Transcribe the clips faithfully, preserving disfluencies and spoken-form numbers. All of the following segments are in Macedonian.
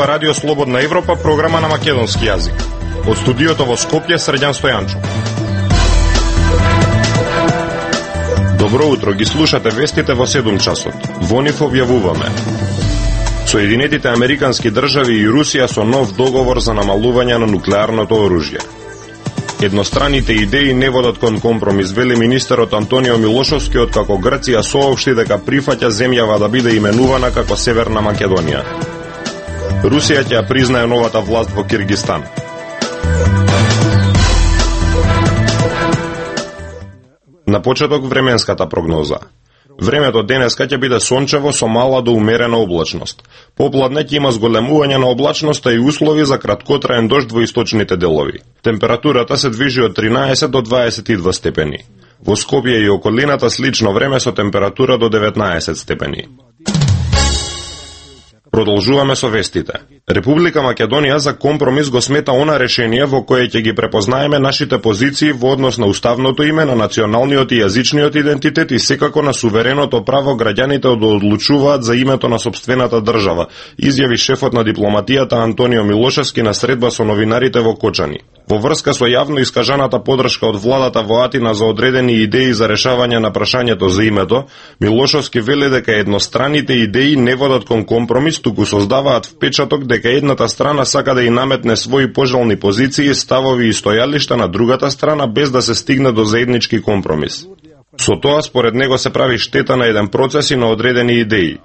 ова Радио Слободна Европа, програма на македонски јазик. Од студиото во Скопје, Срđan Стојанчов. Добро утро, ги слушате вестите во седум часот. Во нив објавуваме: Соединетите Американски држави и Русија со нов договор за намалување на нуклеарното оружје. Едностраните идеи не водат кон компромис, вели министерот Антонио Милошовски, откако Грција соопшти дека прифаќа земјава да биде именувана како Северна Македонија. Русија ќе ја признае новата власт во Киргистан. На почеток временската прогноза. Времето денеска ќе биде сончево со мала до умерена облачност. Попладне ќе има зголемување на облачноста и услови за краткотраен дожд во источните делови. Температурата се движи од тринаесет до дваесет и два степени. Во Скопје и околината слично време со температура до деветнаесет степени. Продолжуваме со вестите. Република Македонија за компромис го смета она решение во кое ќе ги препознаеме нашите позиции во однос на уставното име, на националниот и јазичниот идентитет и секако на сувереното право граѓаните да одлучуваат за името на сопствената држава, изјави шефот на дипломатијата Антонио Милошевски на средба со новинарите во Кочани. Во врска со јавно искажаната подршка од владата во Атина за одредени идеи за решавање на прашањето за името, Милошевски вели дека едностраните идеи не водат кон компромис, туку создаваат впечаток дека едната страна сака да и наметне своји пожелни позиции, ставови и стојалишта на другата страна без да се стигне до заеднички компромис. Со тоа, според него, се прави штета на еден процес и на одредени идеи.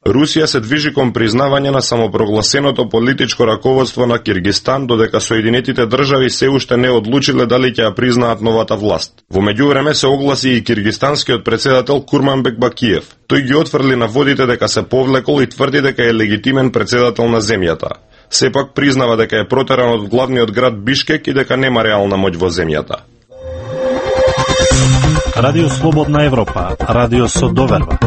Русија се движи кон признавање на самопрогласеното политичко раководство на Киргистан, додека Соединетите држави се уште не одлучиле дали ќе ја признаат новата власт. Во меѓувреме се огласи и киргистанскиот председател Курманбек Бакиев. Тој ги отфрли наводите дека се повлекол и тврди дека е легитимен председател на земјата. Сепак признава дека е протеран од главниот град Бишкек и дека нема реална моќ во земјата. Радио Слободна Европа, радио со доверба.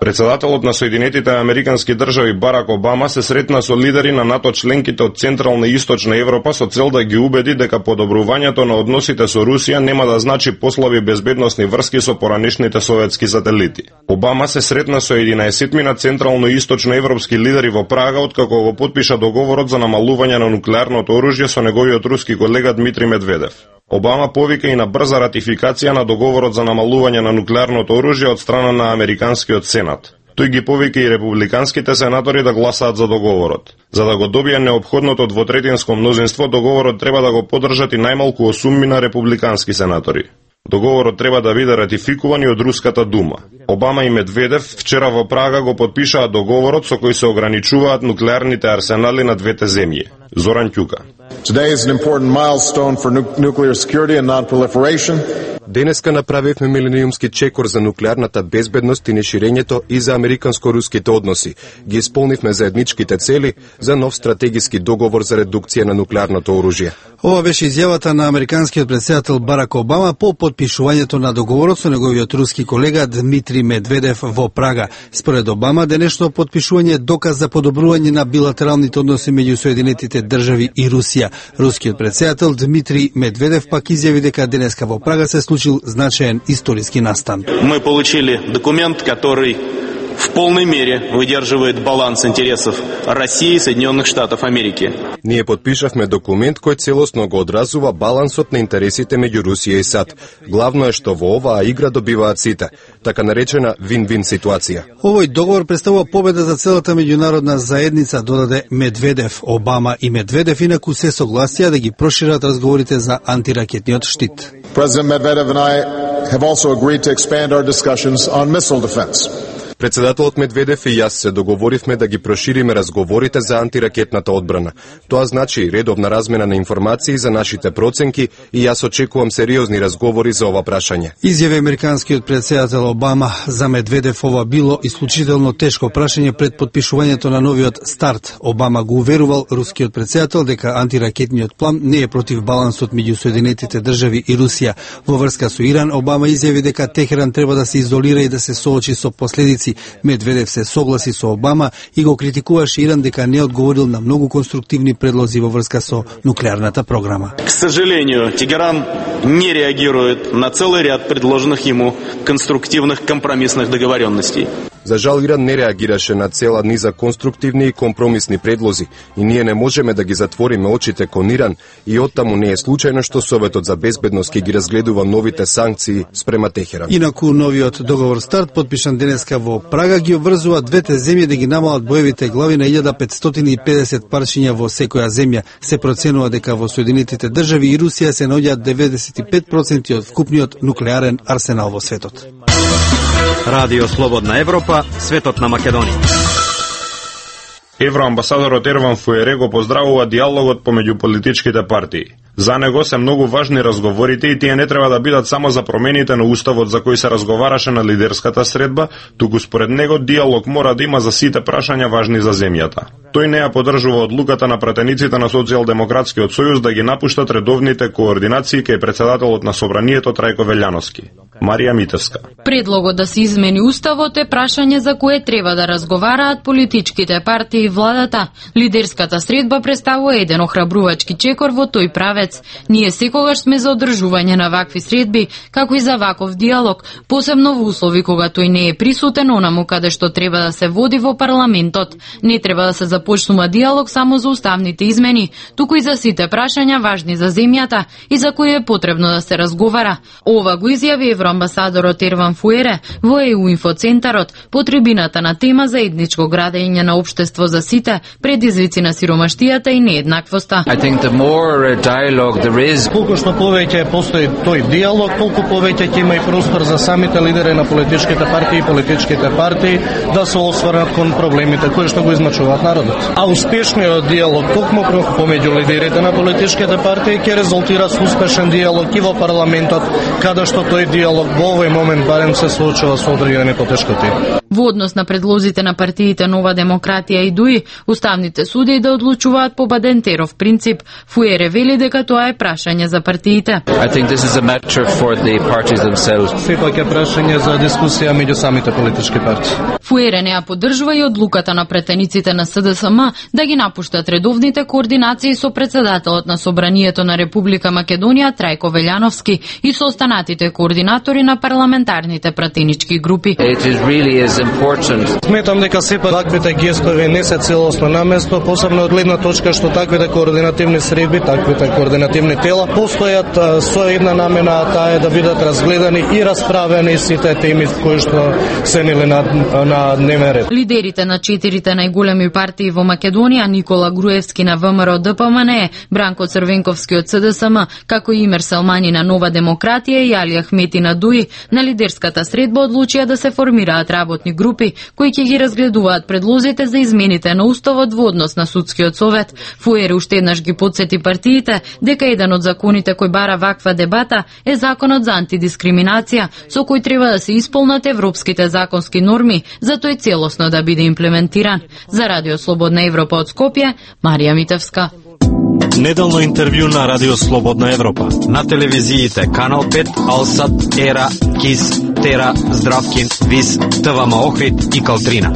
Председателот на Соединетите Американски држави Барак Обама се сретна со лидери на НАТО членките од Централна и Источна Европа со цел да ги убеди дека подобрувањето на односите со Русија нема да значи послаби безбедносни врски со поранешните советски сателити. Обама се сретна со единаесетмина централно и источно европски лидери во Прага откако го потпиша договорот за намалување на нуклеарното оружје со неговиот руски колега Дмитрий Медведев. Обама повика и на брза ратификација на договорот за намалување на нуклеарното оружје од страна на Американскиот Сенат. Тој ги повика и републиканските сенатори да гласаат за договорот. За да го добие неопходното двотретинско мнозинство, договорот треба да го поддржат и најмалку осуммина републикански сенатори. Договорот треба да биде ратификуван и од Руската дума. Обама и Медведев вчера во Прага го потпишаа договорот со кој се ограничуваат нуклеарните арсенали на двете земји. Зоран Ќука. Today is an important milestone for nuclear security and non-proliferation. Денеска направивме милениумски чекор за нуклеарната безбедност и неширењето и за американско-руските односи. Ги исполнивме заедничките цели за нов стратегиски договор за редукција на нуклеарното оружје. Ова беше изјавата на американскиот председател Барак Обама по потпишувањето на договорот со неговиот руски колега Дмитрий Медведев во Прага. Според Обама, денешно потпишување е доказ за подобрување на билатералните односи меѓу Соединетите држави и Русија. Рускиот председател Дмитрий Медведев пак изјави дека денеска во Прага се случил значаен историски настан. Мы получили документ, который в полной мере выдерживает баланс интересов России и Соединенных Штатов Америки. Ние подпишавме документ кој целосно го одразува балансот на интересите меѓу Русија и САД. Главно е што во оваа игра добиваат сите, така наречена вин-вин ситуација. Овој договор представува победа за целата меѓународна заедница, додаде Медведев. Обама и Медведев инаку се согласија да ги прошират разговорите за антиракетниот штит. President Medvedev and I have also agreed to expand our discussions on missile defense. Председателот Медведев и јас се договоривме да ги прошириме разговорите за антиракетната одбрана. Тоа значи редовна размена на информации за нашите проценки и јас очекувам сериозни разговори за ова прашање. Изјави американскиот председател Обама. За Медведев ова било исклучително тешко прашање пред потпишувањето на новиот старт. Обама го уверувал рускиот председател дека антиракетниот план не е против балансот меѓу Соединетите држави и Русија. Во врска со Иран, Обама изјави дека Техеран треба да се изолира и да се соочи со последици. Медведев се согласи со Обама и го критикуваше Иран дека не одговорил на многу конструктивни предлози во врска со нуклеарната програма. К сожалению, Тегеран не реагирует на целый ряд предложенных ему конструктивных компромиссных договоренностей. За жал Иран не реагираше на цела низа конструктивни и компромисни предлози и ние не можеме да ги затвориме очите кон Иран и оттаму не е случајно што Советот за безбедност ќе ги разгледува новите санкции спрема Техеран. Инаку новиот договор старт подпишан денеска во Прага ги обврзува двете земји да ги намалат боевите глави на илјада петстотини и педесет парчиња во секоја земја. Се проценува дека во Соединетите држави и Русија се наоѓаат деветдесет и пет проценти од вкупниот нуклеарен арсенал во светот. Радио Слободна Европа, светот на Македонија. Евроамбасадорот Ерван Фуере го поздравува диалогот помеѓу политичките партии. За него се многу важни разговорите и тие не треба да бидат само за промените на уставот за кои се разговараше на лидерската средба, туку според него диалог мора да има за сите прашања важни за земјата. Тој не ја поддржува одлуката на пратениците на Социјалдемократскиот сојуз да ги напуштат редовните координации кај председателот на Собранието Трајко Велјановски. Марија Митевска. Предлогот да се измени уставот е прашање за кое треба да разговараат политичките партии и владата. Лидерската средба представува еден охрабрувачки чекор во тој правец. Ние секогаш сме за одржување на вакви средби, како и за ваков диалог, посебно во услови кога тој не е присутен онаму каде што треба да се води во парламентот. Не треба да се започнува диалог само за уставните измени, туку и за сите прашања важни за земјата и за кои е потребно да се разговара. Ова го изјави евроамбасадорот Ерван Фуере во Е У инфоцентарот по трибината на тема за етничко градење на општество за сите, предизвици на сиромаштијата и нееднаквоста. Колку што повеќе постои тој диалог, толку повеќе ќе има и простор за самите лидери на политичките партии и политичките партии да се осврнат кон проблемите кои што го измачуваат народот. А успешниот диалог токму помеѓу лидерите на политичките партии ќе резултира со успешен диалог и во парламентот, каде што тој диалог во овој момент барем се соочува со одредени потешкоти. Во однос на предлозите на партиите Нова демократија и ДУИ, уставните суди да одлучуваат по Бадентеров принцип, Фуере вели дека тоа е прашање за партиите. I think this is a matter for the parties themselves. Сепак е прашање за дискусија меѓу самите политички партии. Фуере не ја поддржува и одлуката на претениците на С Д С М да ги напуштат редовните координации со председателот на Собранието на Република Македонија Трајко Велјановски и со останатите координатори на парламентарните пратенички групи. It is really is important. Сметам дека сепак таквите гестови не се целосно на место, посебно од гледна точка што таквите координативни средби, таквите координативни тела постојат со една намена, таа е да бидат разгледани и расправени сите теми кои што се нели на, на дневен ред. Лидерите на четирите најголеми партии во Македонија, Никола Груевски на В М Р Д П М Н Е, Бранко Црвенковски од С Д С М, како и Имер Селмани на Нова демократија и Али Ахмети на ДУИ, на лидерската средба одлучија да се формираат работни групи кои ќе ги разгледуваат предлозите за измените на уставот во однос на судскиот совет. Фуере уште еднаш ги подсети партиите дека еден од законите кој бара ваква дебата е законот за антидискриминација, со кој треба да се исполнат европските законски норми за тој целосно да биде имплементиран. За Радио Слободна Европа од Скопје, Марија Митевска. Неделно интервју на Радио Слободна Европа. На телевизиите Канал пет, Алсат, Ера, Кис, Тера, Здравкин, Вис, Т В М Охрид и Калтрина.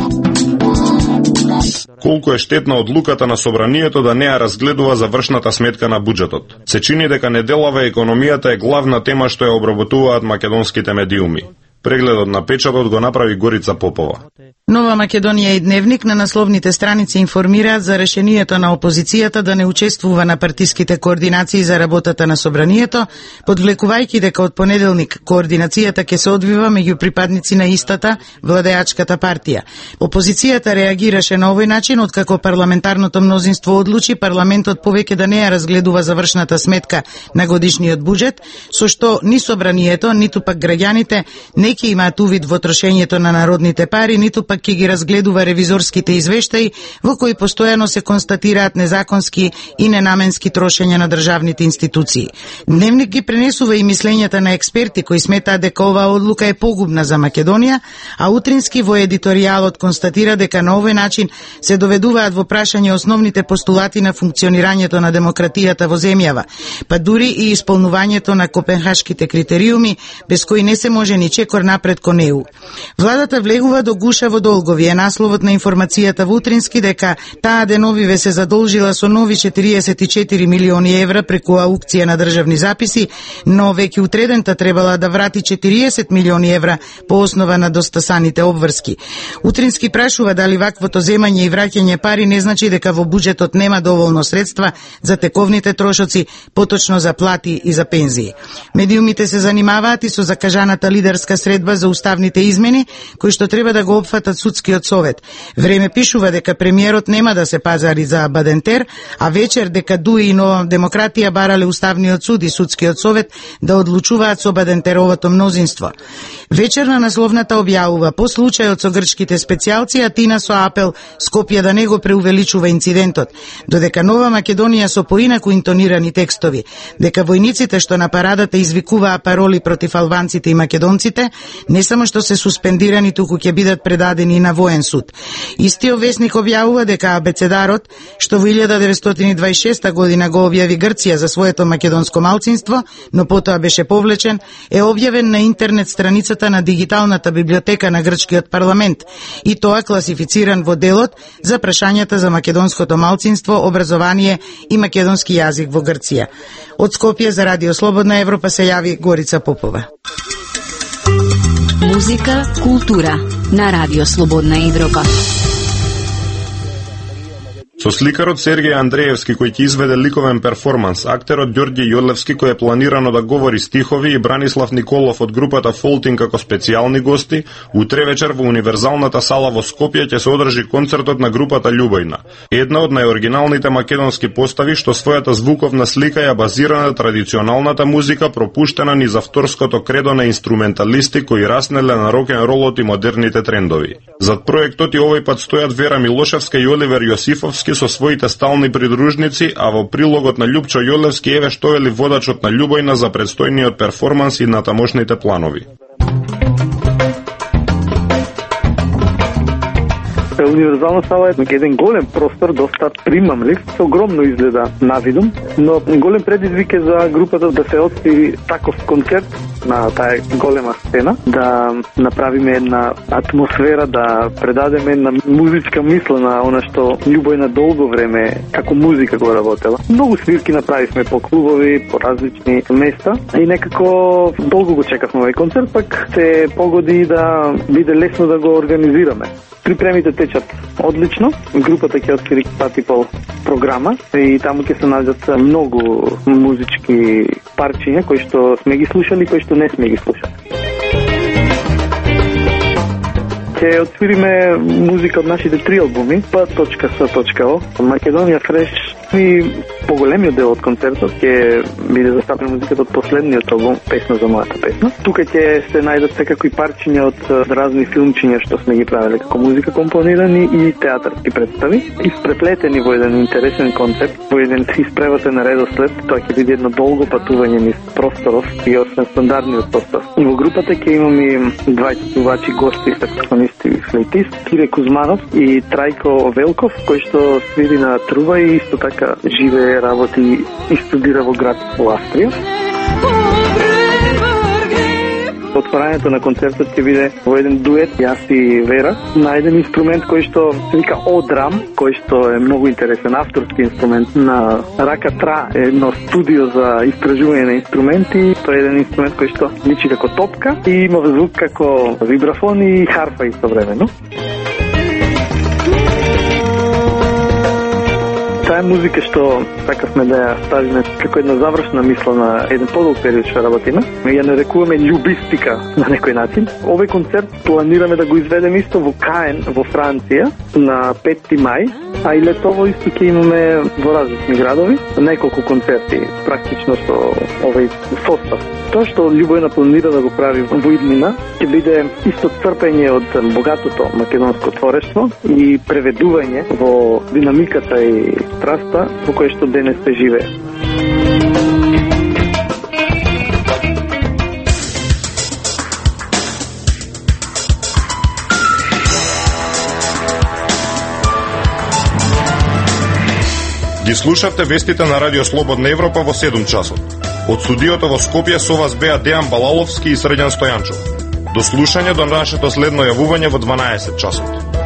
Колку е штетна одлуката на Собранието да не ја разгледува завршната сметка на буџетот. Се чини дека неделава економијата е главна тема што ја обработуваат македонските медиуми. Прегледот на печатот го направи Горица Попова. Нова Македонија и Дневник на насловните страници информираат за решението на опозицијата да не учествува на партиските координации за работата на Собранието, подвлекувајќи дека од понеделник координацијата ќе се одвива меѓу припадници на истата владеачката партија. Опозицијата реагираше на овој начин откако парламентарното мнозинство одлучи парламентот повеќе да не ја разгледува завршната сметка на годишниот буџет, со што ни Собранието, ниту пак граѓаните не ќе имаат увид во трошењето на народните пари, ниту пак ќе ги разгледува ревизорските извештаи во кои постојано се констатираат незаконски и ненаменски трошења на државните институции. Дневник ги пренесува и мислењата на експерти кои сметаат дека оваа одлука е погубна за Македонија, а утрински во едиторијалот констатира дека на овој начин се доведуваат во прашање основните постулати на функционирањето на демократијата во земјава, па дури и исполнувањето на копенхашките критериуми, без кои не се може ни чекор корак напред кон ЕУ. Владата влегува до гуша во долгови е насловот на информацијата во Утрински дека таа деновиве се задолжила со нови четириесет и четири милиони евра преку аукција на државни записи, но веќе утредента требала да врати четириесет милиони евра по основа на достасаните обврски. Утрински прашува дали ваквото земање и враќање пари не значи дека во буџетот нема доволно средства за тековните трошоци, поточно за плати и за пензии. Медиумите се занимаваат и со закажаната лидерска средба за уставните измени, кои што треба да го опфатат судскиот совет. Време пишува дека премиерот нема да се пазари за Бадентер, а вечер дека Дуи и Нова демократија барале уставниот суд и судскиот совет да одлучуваат со Бадентеровото мнозинство. Вечер на насловната објавува по случајот со грчките специјалци, а Тина со апел Скопје да не го преувеличува инцидентот, додека Нова Македонија со поинаку интонирани текстови, дека војниците што на парадата извикуваа пароли против албанците и македонците, не само што се суспендирани, туку ќе бидат предадени на воен суд. Истиот весник објавува дека абецедарот, што во илјада деветстотини и дваесет и шеста година го објави Грција за своето македонско малцинство, но потоа беше повлечен, е објавен на интернет страницата на дигиталната библиотека на грчкиот парламент, и тоа класифициран во делот за прашањата за македонското малцинство, образование и македонски јазик во Грција. Од Скопје за Радио Слободна Европа се јави Горица Попова. Музика, култура на Радио Слободна Европа. Со сликарот Сергеј Андреевски кој ќе изведе ликовен перформанс, актерот Ѓорѓе Јолевски кој е планирано да говори стихови и Бранислав Николов од групата Фолтин како специјални гости, утре вечер во Универзалната сала во Скопје ќе се одржи концертот на групата Љубојна, една од најоригиналните македонски постави што својата звуковна слика ја базира на традиционалната музика пропуштена низ авторското кредо на инструменталисти кои раснеле на рок-н-ролот и модерните трендови. Зад проектот и овој пат стојат Вера Милошевска и Оливер Јосифовски со своите стални придружници, а во прилогот на Љупчо Јолевски еве што вели водачот на Љубојна за предстојниот перформанс и на тамошните планови. Универзална сала е еден голем простор, доста примамлив, со огромно изгледа навидум, но голем предизвик е за групата да се отсвири таков концерт на таа голема сцена, да направиме една атмосфера, да предадеме една музичка мисла на она што Љубојна долго време како музика го работела. Многу свирки направивме по клубови, по различни места и некако долго го чекавме овој концерт, пак се погоди да биде лесно да го организираме. Припремите течат одлично, групата ќе отвори пати пол програма и таму ќе се најдат многу музички парчиња кои што сме ги слушали и кои што не сме ги слушали. Ќе отвириме музика од нашите три албуми, П точка С точка О, Македонија Фреш и поголемиот дел од концертот ќе биде застапена музиката од последниот албум, Песна за мојата песна. Тука ќе се најдат секако и парчиња од разни филмчиња што сме ги правеле како музика компонирани и театарски представи, испреплетени во еден интересен концепт, во еден испреватен редослед. Тоа ќе биде едно долго патување низ просторов и освен стандардниот состав. И во групата ќе имаме двајца певачи гости, саксофонист и флейтист, Кире Кузманов и Трајко Велков, кој што свири на труба и исто така живее, работи и студира во град во Австрија. Отворањето на концертот ќе биде во еден дует, јас и Вера, на еден инструмент кој што се вика О-драм, кој што е многу интересен авторски инструмент на Рака Тра, едно студио за истражување на инструменти. Тоа е еден инструмент кој што личи како топка и има звук како вибрафон и харфа истовремено. Таа е музика што сакавме да ја ставиме како една завршна мисла на еден подолг период што работиме. Ме ја нарекуваме љубистика на некој начин. Овој концерт планираме да го изведеме исто во Каен во Франција на петти мај, а и летово исто ќе имаме во различни градови неколку концерти практично со овој состав. Тоа што Љубојна планира да го прави во иднина ќе биде исто црпење од богатото македонско творештво и преведување во динамиката и страста во кој што денес се живее. Ги слушавте вестите на Радио Слободна Европа во седум часот. Од студиото во Скопје со вас беа Дејан Балаловски и Срđan Стојанчов. До слушање до нашето следно јавување во дванаесет часот.